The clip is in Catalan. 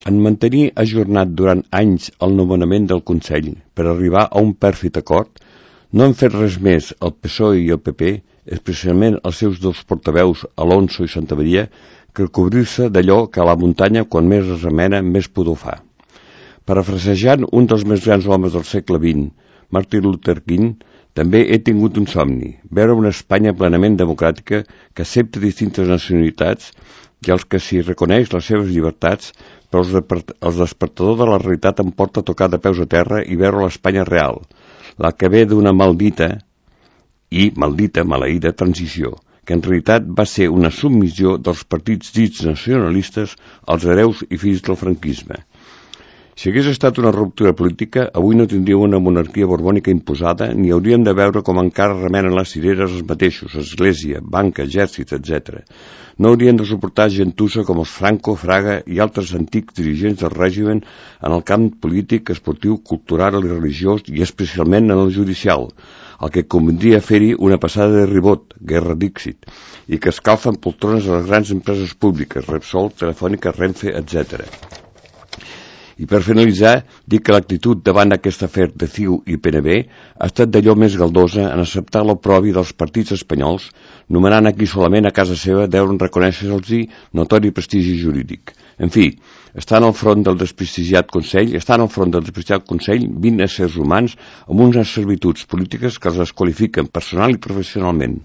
En mantenir ajornat durant anys el nomenament del Consell per arribar a un pèrfid acord, no han fet res més el PSOE i el PP, especialment els seus dos portaveus, Alonso i Santamaría, que cobrir-se d'allò que a la muntanya, quan més es remena, més pudor fa. Parafrasejant un dels més grans homes del segle XX, Martin Luther King, també he tingut un somni, veure una Espanya plenament democràtica que accepta distintes nacionalitats i als que s'hi reconeix les seves llibertats, però el despertador de la realitat em porta a tocar de peus a terra i veure l'Espanya real, la que ve d'una maldita maleïda transició, que en realitat va ser una submissió dels partits dits nacionalistes als hereus i fills del franquisme. Si hagués estat una ruptura política, avui no tindríem una monarquia borbònica imposada ni hauríem de veure com encara remenen les cireres els mateixos, església, banca, exèrcit, etc. No haurien de suportar gentussa com els Franco, Fraga i altres antics dirigents del règim en el camp polític, esportiu, cultural i religiós i especialment en el judicial, el que convindria fer-hi una passada de ribot, guerra d'Íxit, i que escalfen poltrones a les grans empreses públiques, Repsol, Telefònica, Renfe, etc. I per finalitzar, dic que l'actitud davant aquest afer de CiU i PNB ha estat d'allò més galdosa en acceptar l'oprobi dels partits espanyols, nomenant a qui solament a casa seva deuen reconèixer-los notori prestigi jurídic. En fi, estan al front del desprestigiat Consell 20 éssers humans amb unes servituds polítiques que els desqualifiquen personal i professionalment.